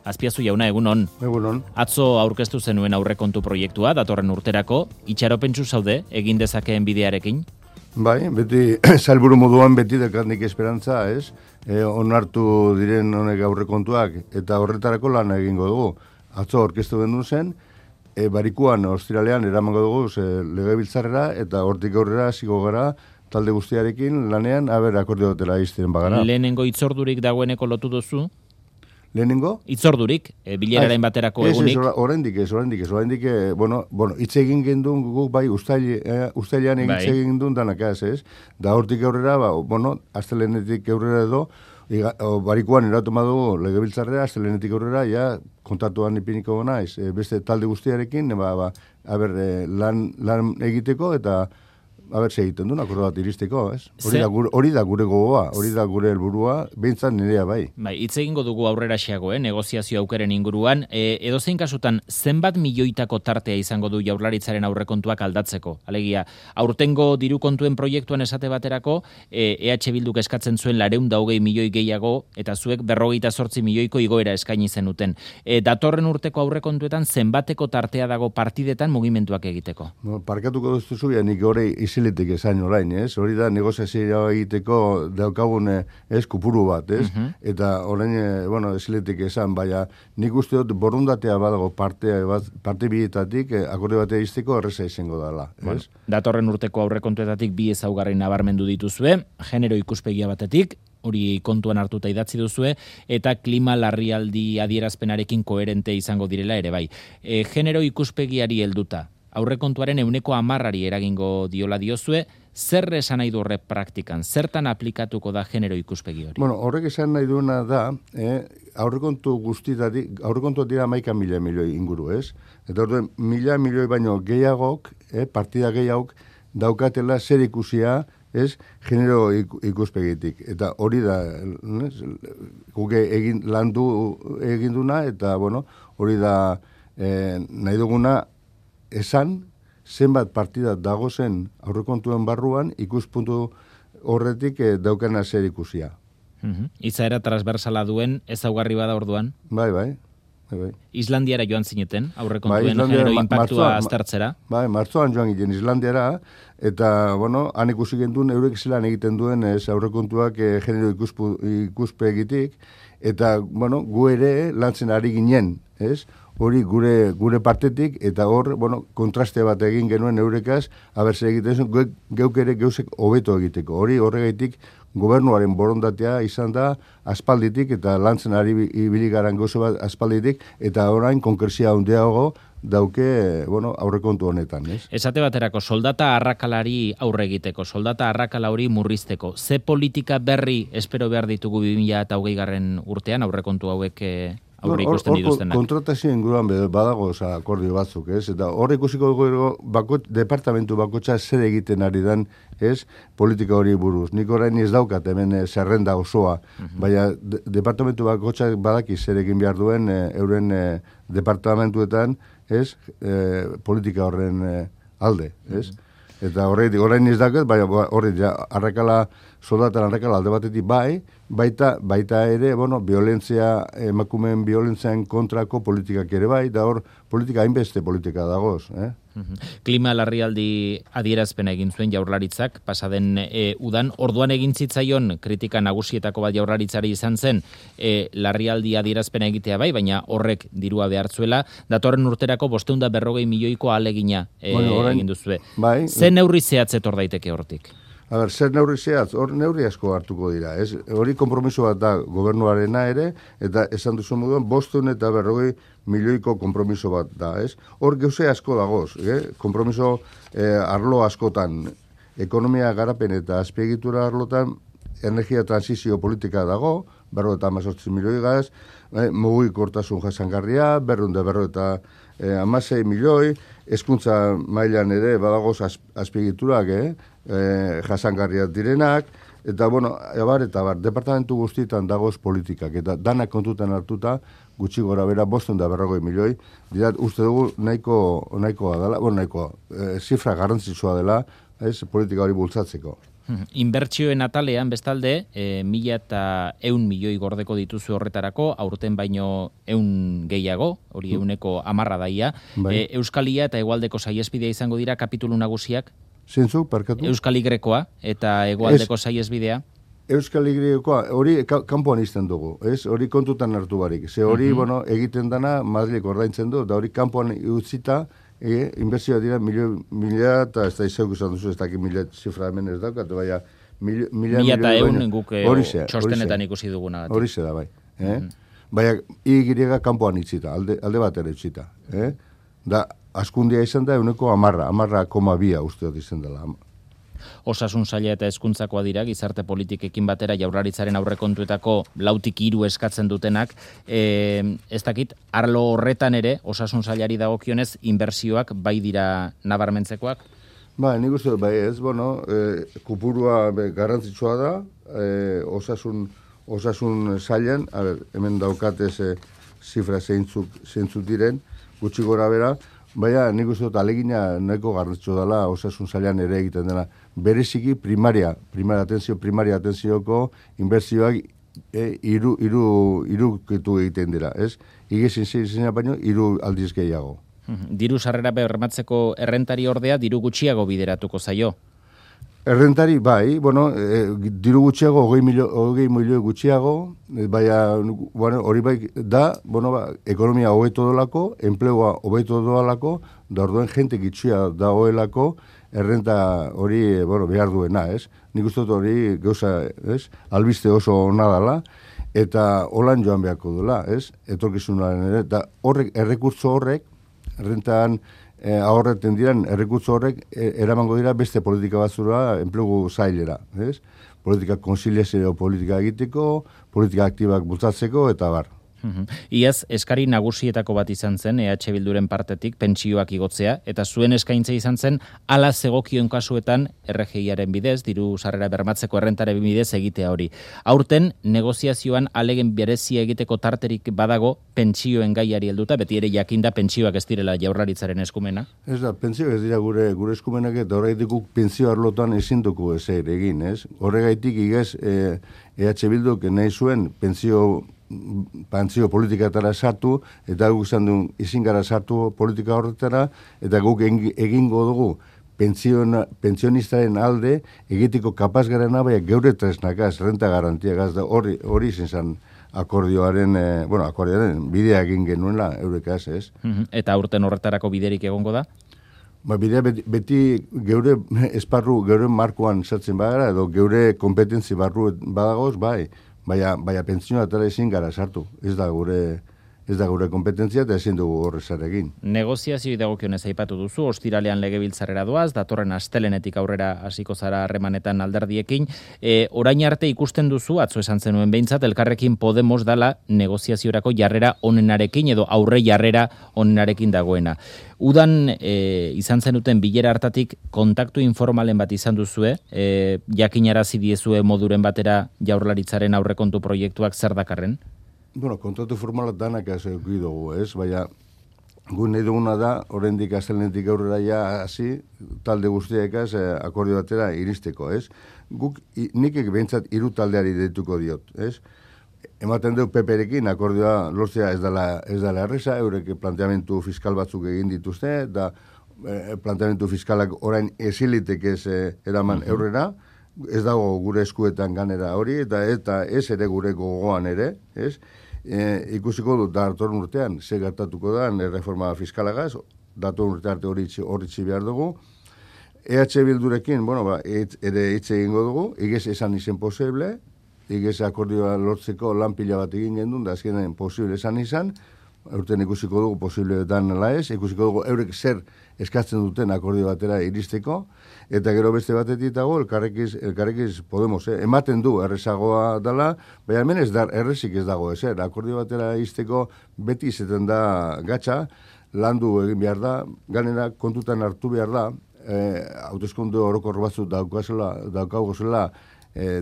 Azpiazu jauna, egunon. Egunon. Atzo aurkeztu zenuen aurrekontu proiektua, datorren urterako, itxaropentsu zaude, egin dezakeen bidearekin? Bai, beti, salburu moduan beti dekat esperantza, ez? Onartu diren honek aurrekontuak, eta horretarako lan egingo dugu. Atzo aurkeztu gendu zen, barikuan, ostiralean, eramango dugu legebiltzarrera, eta hortik aurrera hasiko gara, talde guztiarekin lanean, akordio dutela izten bagara. Lehenengo itzordurik dagoeneko lotu duzu? Lehenengo? Itzordurik, bileraren baterako egunik? Oraindik ez, bueno, hitz egin gendun guk bai, ustailean hitz egin gendun danak ez? Da hortik aurrera, astelenetik aurrera edo, barikuan eratu dugu legebiltzarrera, astelenetik aurrera, ja, kontatuan ipiniko naiz, beste talde guztiarekin, lan egiteko eta egiten duen, akordo bat iristeko, ez? Hori da gure gogoa, hori da gure helburua, behintzat nirea bai. Bai, hitz egingo dugu aurrera xeago, negoziazio aukeren inguruan, edozein kasutan, zenbat milioitako tartea izango du Jaurlaritzaren aurrekontuak aldatzeko? Alegia, aurtengo diru kontuen proiektuan esate baterako, EH Bilduk eskatzen zuen 420 milioi gehiago, eta zuek 58 milioiko igoera eskaini zenuten. Datorren urteko aurrekontuetan zenbateko tartea dago partidetan mugimenduak egiteko? Parkatuko duztu nik hori iziletik esain orain, ez? Hori da negoziazioa egiteko daukagun kupuru bat, ez? Eta orain, iziletik esan, baina nik uste dut borundatea badago parte bietatik akordio batea izteko erreza izango dela, ez? Datorren urteko aurrekontuetatik bi ezaugarri nabarmendu dituzue, genero ikuspegia batetik, hori kontuan hartuta idatzi duzue, eta klima larrialdi adierazpenarekin koherente izango direla ere bai. Genero ikuspegiari helduta, aurrekontuaren 10%ari eragingo diola diozue, zer esan nahi du horre praktikan? Zertan aplikatuko da genero ikuspegi hori? Horrek esan nahi duena da, aurrekontu dira 11.000 milioi inguru, ez? Eta orduen, 1.000 milioi baino gehiagok, partida gehiagok, daukatela zer ikusia, ez, genero ikuspegitik. Eta hori da, guke egin duna, eta, hori da nahi duguna, esan, zenbat partida dagozen aurrekontuen barruan, ikuspuntu horretik daukana zer ikusia. Izaera transversala duen, ezaugarri bada orduan? Bai. Islandiara joan zineten, aurrekontuen genero impactua aztertzera? Bai, martzoan joan ginen Islandiara, eta, han ikusi genduen, eurek zelan egiten duen aurrekontuak genero ikuspegitik, eta, gu ere lantzen ari ginen, ez? Hori gure partetik, eta hor, kontraste bat egin genuen eurekaz, zer egiten zuen, geuk ere geusek hobeto egiteko. Hori horregaitik gobernuaren borondatea izan da aspalditik, eta lantzen ari ibiligaran gauze bat aspalditik, eta orain konkrezia handiago dauke, aurrekontu honetan, ez? Esate baterako, soldata arrakalari aurre egiteko, soldata arrakala hori murrizteko. Ze politika berri espero behar ditugu 2020 urtean, aurrekontu hauek aurre ikusten dituztenak? Kontratazio inguruan badago akordio batzuk, ez? Eta hor ikusiko dugu departamentu bakotxa zer egiten ari dan, ez? Politika hori buruz. Nik orain ez daukat hemen zerrenda osoa, baina departamentu bakotxa badaki zer egin behar duen euren departamentuetan, ez? Politika horren alde, ez? Eta orain ez daukat, baina arrakala, soldatan arrakala alde batetik baita ere, violentzia, emakumeen violentzian kontrako politikak ere bai, da hor politika hainbeste politika dagoz, Klima larrialdi adierazpena egin zuen Jaurlaritzak, pasaden udan, orduan egin zitzaion kritika nagusietako bat Jaurlaritzari izan zen, larrialdi adierazpena egitea bai, baina horrek dirua behartzuela, datorren urterako 540 milioiko ahalegina egin duzue. Ze neurri zehatzet hor daiteke hortik? Zer neurri zehatz, hor neurri asko hartuko dira. Hori konpromiso bat da gobernuarena ere, eta esan duzu moduan, 540 milioiko konpromiso bat da. Hor gauze asko dagoz, konpromiso arlo askotan, ekonomia garapen eta azpiegitura arlotan, energia transizio politika dago, 58 milioi gaz, mugikortasun jasangarria, 256 milioi, hezkuntza mailan ere badagoz azpiegiturak, jasangarriak direnak, eta, departamentu guztietan dagoz politikak, eta danak kontutan hartuta, gutxi gora bera, 540 milioi, uste dugu nahikoa dela, zifra garrantzitsua dela, politika hori bultzatzeko. Inbertsioen atalean bestalde, 1.100 milioi gordeko dituzu horretarako, aurten baino 100 gehiago, hori 110 daia. Euskalia eta Hegoaldeko saihesbidea izango dira kapitulu nagusiak. Zentzu, parkatu? Euskal Y-koa eta Hegoaldeko saihesbidea. Euskal Y-koa, hori kanpoan izten dugu, ez? Hori kontutan hartu barik. Ze hori, egiten dana Madrilek ordaintzen du, da hori kanpoan utzita, inbertsioa dira mila eta ez da izauk izan duzu, ez dakit mila zifra hemen ez daukat, baina mila eta egun guk txostenetan ikusi duguna. Hori da, bai. Baina, igiriega kanpoan itzita, alde bat ere itzita. Da, askundia izan da, 10,2 uste dut izan dela. Osasun saila eta hezkuntzakoa dira, gizarte politikekin batera Jaurlaritzaren aurrekontuetako 4-3 eskatzen dutenak. Ez dakit, arlo horretan ere, osasun sailari dagokionez, inbertsioak bai dira nabarmentzekoak? Ba, nik uste dut, bai ez, kupurua garrantzitsua da, osasun sailan, hemen daukatez zifra zeintzuk diren, gutxi gora bera, baina nik uste dut alegina nahiko garrantzitsua dela osasun sailan ere egiten dena. Bereziki primaria atenzioko inbertsioak irukitu egiten dira, ez? Igezin zeina baino, 3 aldiz gehiago. Diru sarrera bermatzeko errentari ordea, diru gutxiago bideratuko zaio? Errentari, bai, diru gutxiago, 20 milioi gutxiago, baina, hori bai da, ekonomia hobeto dolako, enplegua hobeto dolako, da orduen jente gitxia dagoelako, errenta hori, behar duena, ez? Nik uste dut hori gauza, ez? Albiste oso ona dela, eta holan joan beharko duela, ez? Etorkizunaren ere, eta errekurtso horrek, errentan ahorreten diran errekurtso horrek eramango dira beste politika batzura enplegu zailera, ez? Politika konziliazio politika egiteko, politika aktibak bultzatzeko, eta bar. Iaz, eskari nagusietako bat izan zen, EH Bilduren partetik, pentsioak igotzea, eta zuen eskaintza izan zen, ala zegokion kasuetan RGIaren bidez, diru sarrera bermatzeko errentaren bidez egitea hori. Aurten, negoziazioan alegen berezia egiteko tarterik badago pentsioen gaiari helduta, beti ere jakinda pentsioak ez direla Jaurlaritzaren eskumena? Ez da, pentsioak ez dira gure eskumenak, eta horregaitik pentsio arlotan ezin dugu ezer egin, ez? Horregaitik igaz, EH Bilduk nahi zuen pentsio politikatara sartu, eta guk izan duen izin gara sartu politika horretara, eta guk egingo dugu pentsionistaren alde egiteko kapaz garena, baina geure tresnakaz, renta garantiagaz, da hori izan zen akordioaren bidea egin genuela eurekaz, ez? Eta aurten horretarako biderik egongo da? Bidea beti geure esparru, geure markoan sartzen bagara, edo geure kompetentzi barru badagoz, bai. Baina pentsioa atara ezin gara sartu. Ez da gure kompetentzia eta ezin dugu horrezar egin. Negoziazio dagokionez aipatu duzu, ostiralean legebiltzarrera doaz, datorren astelenetik aurrera hasiko zara harremanetan alderdiekin. Orain arte ikusten duzu, atzo esan zenuen behintzat, Elkarrekin Podemos dala negoziaziorako jarrera onenarekin edo aurre jarrera onenarekin dagoena. Udan izan zenuten bilera hartatik kontaktu informalen bat izan duzue, jakinarazi diezue moduren batera Jaurlaritzaren aurrekontu proiektuak zer dakarren? Kontratu formala danak ezauki dugu, ez? Baina, gu nahi duguna da, oraindik astelenetik aurrera ja hasi, talde guztiekaz akordio batera iristeko, ez? Nik behintzat 3 taldeari deituko diot, ez? Ematen dut PP-rekin akordioa lortzea ez dela erreza, eurek planteamentu fiskal batzuk egin dituzte, eta planteamentu fiskalak orain ezilitek ez eraman eurrera, ez dago gure eskuetan ganera hori, eta ez ere gure gogoan ere, ez? Ikusiko dut datorren urtean, ze gertatuko da, reforma fiskalagaz, datorren urte arte horritzi behar dugu. EH Bildurekin, ere hitz egingo dugu, igez esan izen posible, igez akordioa lortzeko lan pila bat egin gendun, da azkenen posible esan izan, urtean ikusiko dugu posibleetan ala ez, ikusiko dugu eurek zer eskatzen duten akordio batera iristeko, eta gero beste batetik dago, elkarrekiz Podemos, ematen du errezagoa dela, baina hemen errezik ez dago, akordio batera iristeko beti izaten da gatza, landu egin behar da, ganera kontutan hartu behar da, hauteskunde orokor batzuk daukagozela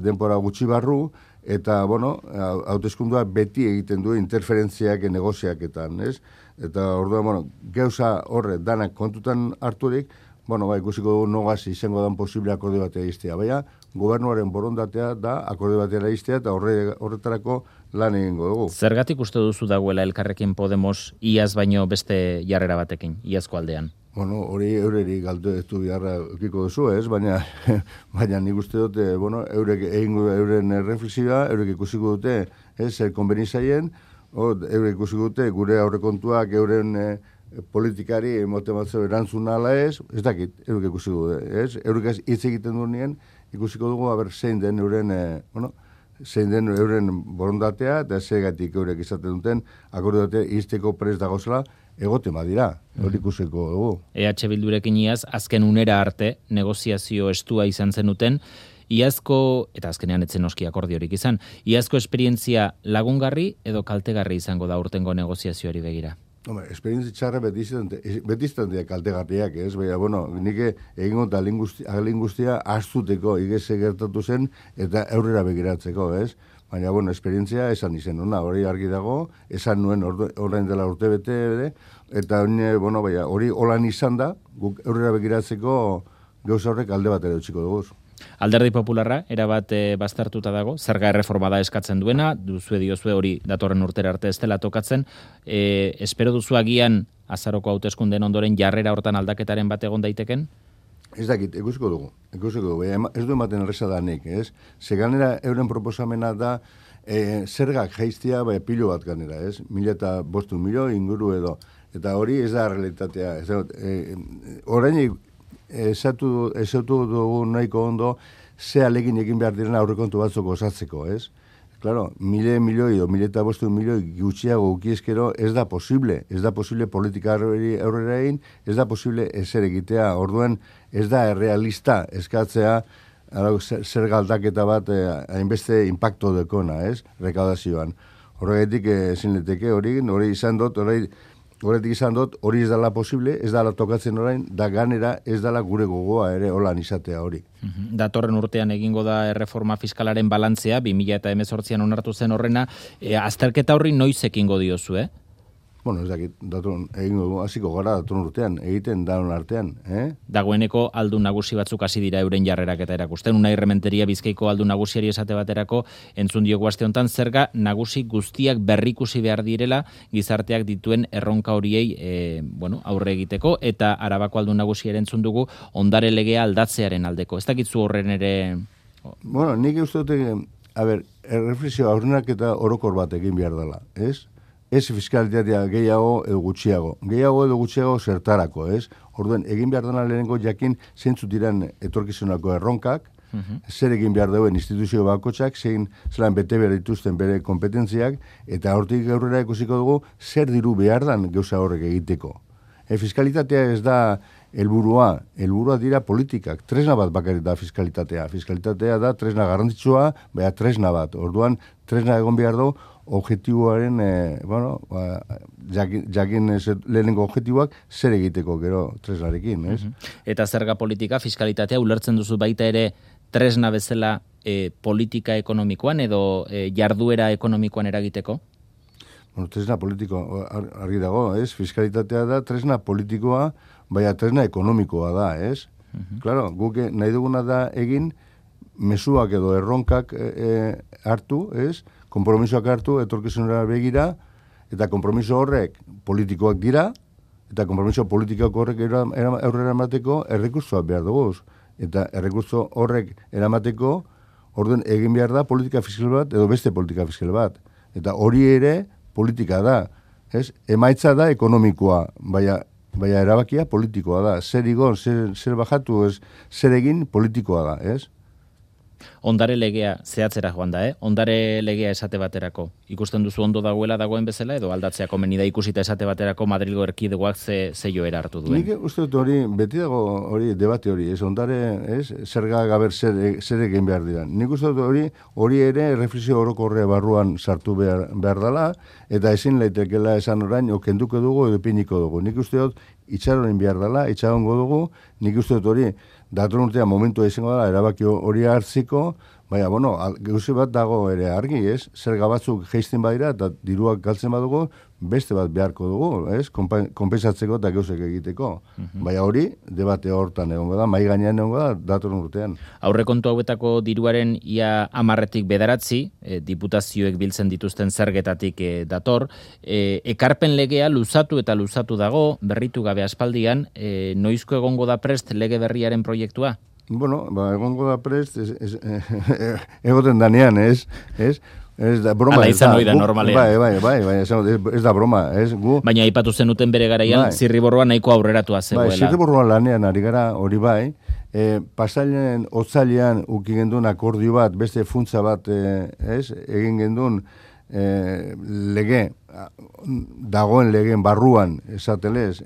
denpora gutxi barru, eta, hauteskundua beti egiten du interferentziak negoziaketan, ez? Eta, orduan, gauza horre danak kontutan harturik, ikusiko dugu nogaz izango dan posible akordio bat egistea. Baina, gobernuaren borondatea da akordio batera iztea eta horretarako lan egingo dugu. Zergatik uste duzu dagoela Elkarrekin Podemos iaz baino beste jarrera batekin, iazko aldean? Bueno, hori eureri galdetu beharra ukiko duzu, ez? Baina nik uste dute, eurek egingo euren reflexioa, eurek ikusiko dute, zer konbenizaien, eurek ikusiko dute gure aurrekontuak euren politikari motibatzeo erantzun ala ez dakit, eurek ikusiko dute, ez? Eurek hitz egiten duen ikusiko dugu, zein den euren borondatea, eta zegatik eurek izaten duten, akordatea izteko prest dagozela, egote badira, hori ikusiko dugu. EH Bildurekin iaz, azken unera arte, negoziazio estua izan zenuten, iazko, eta azkenean etzen oski akordiorik izan, iazko esperientzia lagungarri edo kaltegarri izango da urtengo negoziazioari begira? Esperientzia txarra beti izan dira kaltegarriak, ez? Baina, nik egingo eta alin guztia astuteko igeze gertatu zen eta aurrera begiratzeko, ez? Baina, esperientzia esan izen, hori argi dago, esan nuen orain dela urte bete, eta hori holan izan da, guk aurrera begiratzeko gauza horrek alde bat ere utziko dugu. Alderdi Popularra, erabat baztertuta dago, zerga erreforma da eskatzen duena, diozue hori datorren urtera arte ez dela tokatzen, espero duzu agian azaroko hauteskundeen ondoren jarrera hortan aldaketaren bat egon daiteken? Ez dakit, ikusiko dugu, ez du ematen erreza da nik, ez? Zeganera euren proposamena da zergak jaiztia pilo bat ganera, ez? 1.500 milioi inguru edo, eta hori ez da realitatea, orain esatu dugu nahiko ondo ze alegin egin behar diren aurrekontu batzuk osatzeko, ez? Claro, 1.000 milioi o 1.500 milioi gutxiago ukiezkero ez da posible politika aurrera egin, ez da posible ezer egitea, orduan ez da errealista eskatzea zer galdaketa bat hainbeste impacto dekona, ez? Rekaudazioan. Horregatik ezin leteke hori izan dut, horretik izan dut, hori ez dala posible, ez dala tokatzen orain, da ganera ez dala gure gogoa ere holan izatea hori. Datorren urtean egingo da erreforma fiskalaren balantzea, 2018an onartu zen horrena, azterketa horri noiz ekingo diozu, Ez dakit, egingo hasiko gara datorren urtean, egiten daun artean, Dagoeneko aldun nagusi batzuk hasi dira euren jarrerak eta erakusten. Unai Rementeria Bizkaiko aldun nagusiari esate baterako entzun diogu aste honetan zerga nagusi guztiak berrikusi behar direla gizarteak dituen erronka horiei aurre egiteko, eta Arabako aldun nagusiaren entzun dugu ondare legea aldatzearen aldeko. Ez dakitzu horren ere... Nik uste dute, erreflexio aurrenak eta orokor bat egin behar dela, ez? Ez fiskalitatea gehiago edo gutxiago zertarako, ez? Orduan, egin behar dena lehenengo jakin zeintzuk diren etorkizunako erronkak, zer egin behar duen instituzio bakotxak, zelan bete behar dituzten bere kompetentziak, eta hortik aurrera ikusiko dugu zer diru behar dan gauza horrek egiteko. Fiskalitatea ez da helburua dira politikak, tresna bat bakarrik da fiskalitatea. Fiskalitatea da tresna garrantzitsua, tresna bat. Orduan, tresna egon behar du, objektiboaren, jakin lehenengo objektiboak zer egiteko gero tresnarekin, ez? Eta zerga politika, fiskalitatea ulertzen duzu baita ere tresna bezala politika ekonomikoan edo jarduera ekonomikoan eragiteko? Tresna politiko argi dago, ez? Fiskalitatea da tresna politikoa, tresna ekonomikoa da, ez? Claro, guk nahi duguna da egin mezuak edo erronkak hartu, ez? Konpromisoak hartu, etorkizunera begira, eta konpromiso horrek politikoak dira, eta konpromiso politikak horrek aurrera emateko errekurtsoak behar dugu. Eta errekurtso horrek eramateko, orduan egin behar da politika fiskal bat, edo beste politika fiskal bat. Eta hori ere politika da, ez? Emaitza da ekonomikoa, baina erabakia politikoa da. Zer igon, zer bajatu, zer egin politikoa da, ez? Ondare legea zehatzera joan da, Ondare legea esate baterako. Ikusten duzu ondo dagoen bezala, edo aldatzea komeni da ikusita esate baterako Madrilgo erkidegoak ze joera hartu duen? Nik uste dut hori, beti dago hori, debate hori, ondare, zerga gaber zer egin behar dira. Nik uste dut hori ere reflexio orokorrea barruan sartu behar dela, eta ezin leitekela esan orain, kenduko dugu edo piniko dugu. Nik uste dut itxaroren behar dela, itxarongo dugu, nik uste dut hori, datorren urtean momentua izango dela, erabaki hori hartziko, gauze bat dago ere argi, ez? Zerga batzuk jeisten badira eta diruak galtzen badugu, beste bat beharko dugu, ez? Konpensatzeko eta gauzek egiteko. Baina hori, debate hortan egongo da, mai gainean egongo da, datorren urtean. Aurrekontu hauetako diruaren ia 10 bederatzi, diputazioek biltzen dituzten zergetatik dator, ekarpen legea luzatu eta luzatu dago, berritu gabe aspaldian, noizko egongo da prest lege berriaren proiektua? Bueno, egongo da prest, egoten danean, ez? Ez da broma. Ala izan hori da normalean. Bai, ez da broma, ez gu. Baina aipatu zenuten bere garaian, zirriborroa nahiko aurreratua zegoela. Bai, zirriborroa lanean ari gara, hori bai, pasailen otzailean uki gendun akordio bat, beste funtza bat, egin gendun lege, dagoen legeen barruan, esatelez,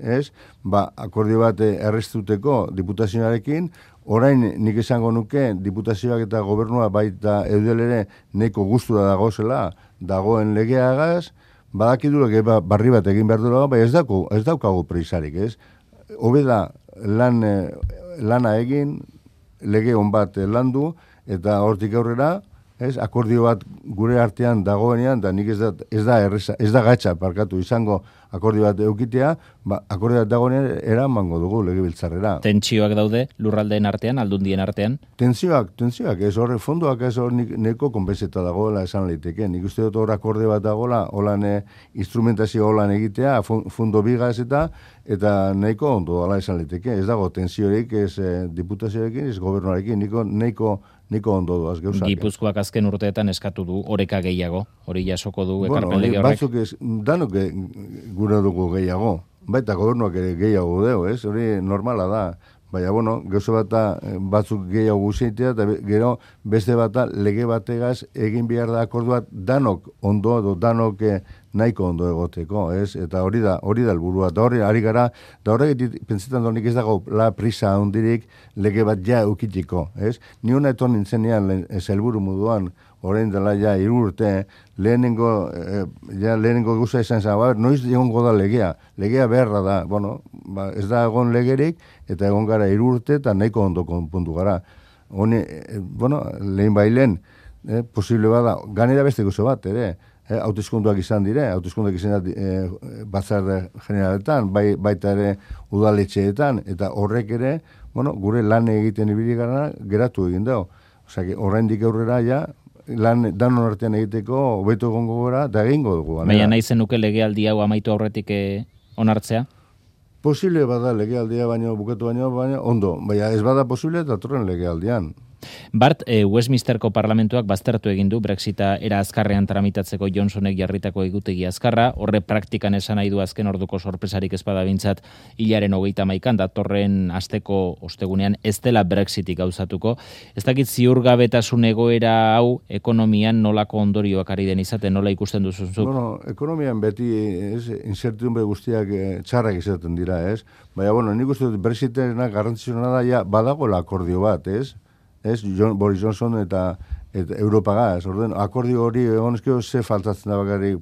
akordio bat errestuteko diputazioarekin. Orain nik esango nuke diputazioak eta gobernua baita eudel ere neko gustura dagozela dagoen legeagaz, badakidulek barri bat egin behar duela, bai ez daukagu preisarik, ez? Hobe da lana egin, lege on bat landu, eta hortik aurrera, ez, akordio bat gure artean dagoenean, da nik ez da gatsa parkatu izango akordio bat eukitea, akordio bat dagoenean eramango dugu legebiltzarrera. Tentsioak daude lurraldeen artean, aldundien artean? Tentsioak, ez horre, fondoak ez hor neko konpenseta dagoela esan leiteke. Nik uste dut hor akorde bat dagoela, holan instrumentazio holan egitea, fondo bigaz eta nahiko ondo ala esan leiteke. Ez dago tentsiorik, ez diputazioarekin, ez gobernuarekin, niko ondo duaz gauzak. Gipuzkoak azken urteetan eskatu du oreka gehiago, hori jasoko du ekarpen lege horrek. Batzuk danok gure dugu gehiago, baita gobernuak ere gehiago deu, ez? Hori normala da. Baina, gauza bat batzuk gehiago guzeitea, eta gero beste bat lege bategaz egin behar da akordu bat danok ondo edo danok nahiko ondo egoteko, ez? Eta hori da helburua. Da hori ari gara, da horregatik pentsetan donik ez dago la prisa hondirik lege bat ja eukitiko, ez? Ni hona eton nintzenean helburu moduan, orain dela ja 3 urte, lehenengo guza izan zen, noiz egongo da legea beharra da, ez da egon legerik, eta egon gara 3 urte, eta nahiko ondo konpuntu gara. Hone, lehen bailen, posible bada, ganera beste guzo bat, ere, hauteskunduak izan dire, batzar generaletan, baita ere udaletxeetan, eta horrek ere, gure lan egiten ibili gara, geratu egin dago. Osea, oraindik aurrera ja, lan danon artean egiteko hobeto egongo gara, da egingo dugu. Baina nahi zenuke legealdi hau amaitu aurretik onartzea? Posible bada legealdia bukatu baino, ondo. Baina ez bada posible datorren legealdian. Bart, Westminsterko parlamentuak baztertu egin du Brexita era azkarrean tramitatzeko Johnsonek jarritako egutegi azkarra, horre praktikan esan nahi du azken orduko sorpresarik ez bada bintzat hilaren 31 datorren asteko ostegunean ez dela Brexitik gauzatuko. Ez dakit ziurgabetasun egoera hau ekonomian nolako ondorioak ari den izaten, nola ikusten duzuzuk? Ekonomian beti incertidumbre guztiak txarrak izaten dira, ez? Baina, nik uste dut Brexitena garrantzitsuna da, ja, badagoela akordio bat, ez? Boris Johnson eta Europagaz. Akordio hori egonezkio ze faltatzen da bakarrik,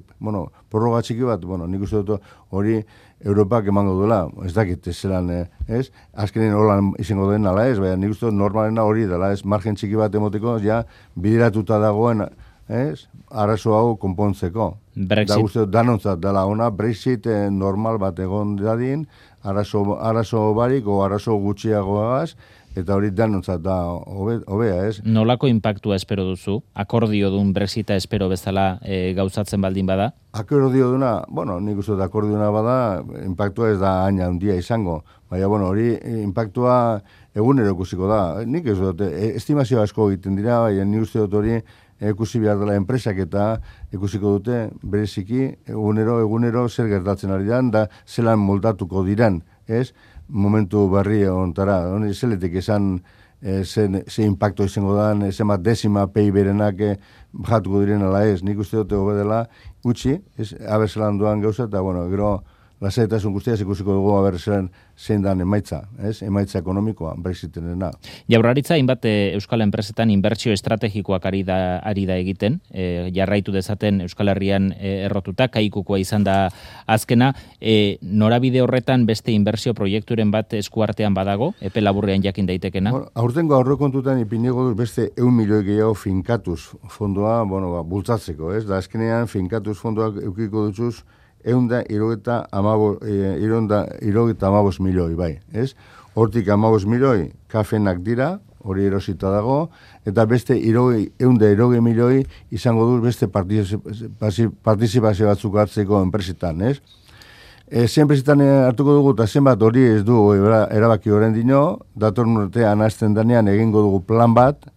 prorroga txiki bat, nik uste dut hori Europak emango duela, ez dakit zelan, ez? Azkenen holan izango den ala ez, baina nik uste dut normalena hori dela, ez? Margen txiki bat emoteko, ja, bideratuta dagoen, ez? Arazo hau konpontzeko. Brexit. Da uste dut danontzat dela ona, Brexit normal bat egon dadin, arazo barik o arazo gutxiagoagaz, eta hori danontzat da hobea, ez? Nolako impactua espero duzu? Akordio dun Brexita espero bezala gauzatzen baldin bada? Akordio duna, nik uste dut akordio duna bada, impactua ez da haina handia izango. Baina, hori impactua egunero ikusiko da. Nik ez dut, estimazio asko egiten dira, baina nik uste dut hori ikusi behar dela enpresak eta ikusiko dute bereziki egunero zer gertatzen ari dan, da zelan moldatuko diran, ez? Momentu berri ontara, zeletik esan ze impacto izango dan, zema desima PIB-renak bajatuko diren ala ez, nik uste dute hobedela utzi, abertzelan duan gauza, eta gero lasaitasun guztiaz ikusiko dugu zein dan emaitza, emaitza ekonomikoa, Brexitenena. Jaurlaritza, hainbat Euskal Enpresetan inbertsio estrategikoak ari da egiten, jarraitu dezaten Euskal Herrian errotuta, kaikukoa izan da azkena, norabide horretan beste inbertsio proiekturen bat eskuartean badago, epe laburrean jakin daitekena? Aurtengo aurrekontutan ipinigo dut beste 1 milioi gehiago finkatuz fondoa, bultzatzeko, ez? Da azkenean finkatuz fondoak eukiko dutuz €175 milioi, bai, ez? Hortik 15 milioi kafenak dira, hori erosita dago, eta beste 120 milioi izango du beste partizipazio batzuk hartzeko enpresetan, ez? Zenpresetan hartuko dugu, eta zenbat hori ez du erabaki horren dino, datorren urtean hasten danean egingo dugu plan bat,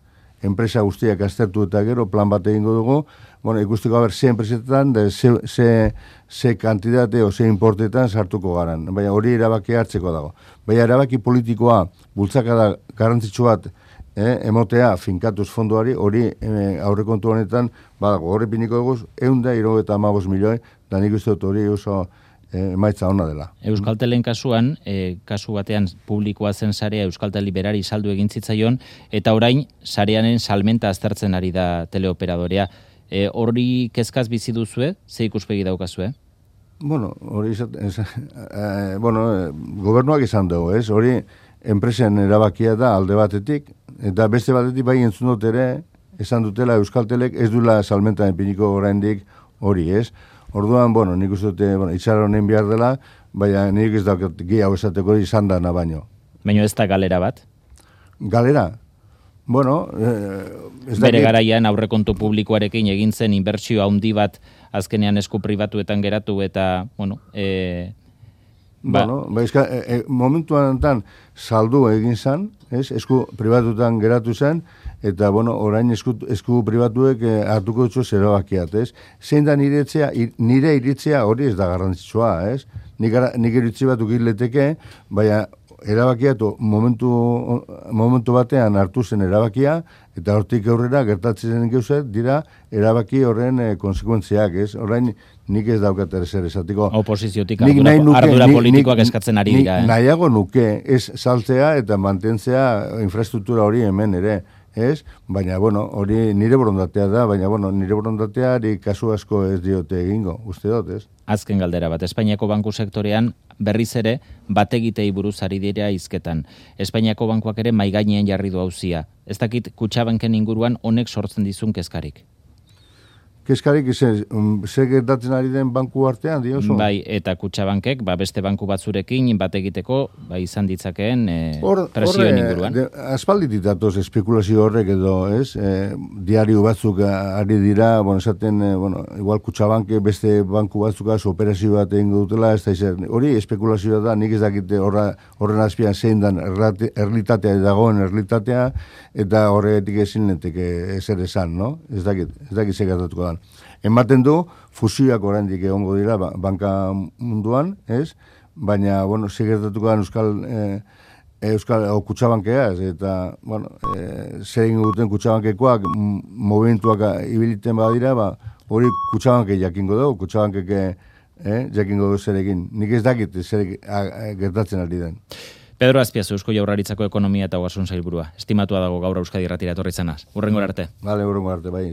enpresa guztiak aztertu eta gero plan bat egingo dugu, bueno, ikusteko haber ze enpresetan, ze kantitate o ze importetan sartuko garan. Baina hori erabaki hartzeko dago. Baina erabaki politikoa bultzakada garrantzitsu bat emotea finkatuz fondoari, hori aurrekontu honetan, horre piniko dugu, 175 milioi, da nik uste dut hori oso emaitza ona dela. Euskaltelen kasuan, kasu batean publikoa zen sarea Euskaltel berari saldu egin zitzaion, eta orain sareanen salmenta aztertzen ari da teleoperadorea. Hori kezkaz bizi duzue, ze ikuspegi daukazue? Bueno, hori gobernuak izan dugu, ez? Hori enpresen erabakia da alde batetik, eta beste batetik bai entzun dut ere, esan dutela Euskaltelek ez duela salmenta piniko oraindik hori, ez? Orduan, bueno, nik uste dute, itxara honen behar dela, baina nik ez daukat gehiago esateko hori izan dana baino. Baina ez da galera bat? Galera? Bueno, bere garaian aurrekontu publikoarekin egin zen inbertsio handi bat azkenean esku pribatuetan geratu eta, bueno, momentuan saldu egin zen, esku pribatuetan geratu zen, eta, bueno, orain esku pribatuek hartuko dutxo zerabakiat, ez? Zein da nire iritzea hori ez da garrantzitsua, ez? Nik iritzi bat ukirleteke, baina erabakiatu momentu batean hartu zen erabakia, eta hortik aurrera gertatzen gauzet dira erabaki horren konsekuentziak, ez? Orain nik ez daukat zer esatiko. Oposiziotik ardura politikoak eskatzen ari dira. Nahiago nuke ez saltzea eta mantentzea infrastruktura hori hemen ere, ez? Baina, bueno, hori nire borondatea da, baina, bueno, nire borondateari kasu asko ez diote egingo, uste dut, ez? Azken galdera bat, Espainiako banku sektorean berriz ere bategitei buruz ari dira hizketan. Espainiako bankuak ere maigainean jarri du auzia. Ez dakit Kutxabanken inguruan honek sortzen dizun kezkarik. Kezkarik ze gertatzen ari den banku artean, diozu? Bai, eta Kutxabankek, beste banku batzurekin bat egiteko, izan ditzakeen presioen inguruan. Aspalditik datoz espekulazio horrek edo, ez? Diario batzuk ari dira, esaten, igual Kutxabanke beste banku batzukaz operazio bat egingo dutela, ez da izan. Hori espekulazioa da, nik ez dakite horren azpian zein dan erlitatea dagoen erlitatea, eta horretik ezin lenteke ezer esan, no? Ez dakit ze gertatuko da. Ematen du, fusioak oraindik egongo dira banka munduan, ez? Baina, ze gertatuko da Euskal Kutxabankeaz, eta, zer egin duten Kutxabankekoak movimentuak ibiliten badira, hori Kutxabanke jakingo dugu, Kutxabankeke jakingo dugu zer egin. Nik ez dakit zer gertatzen ari den. Pedro Azpiazu, Eusko Jaurlaritzako ekonomia eta ogasun sailburua. Estimatua dago gaur Euskadi Irratira etorri izanaz. Hurrengora arte. Hurrengora arte, bai.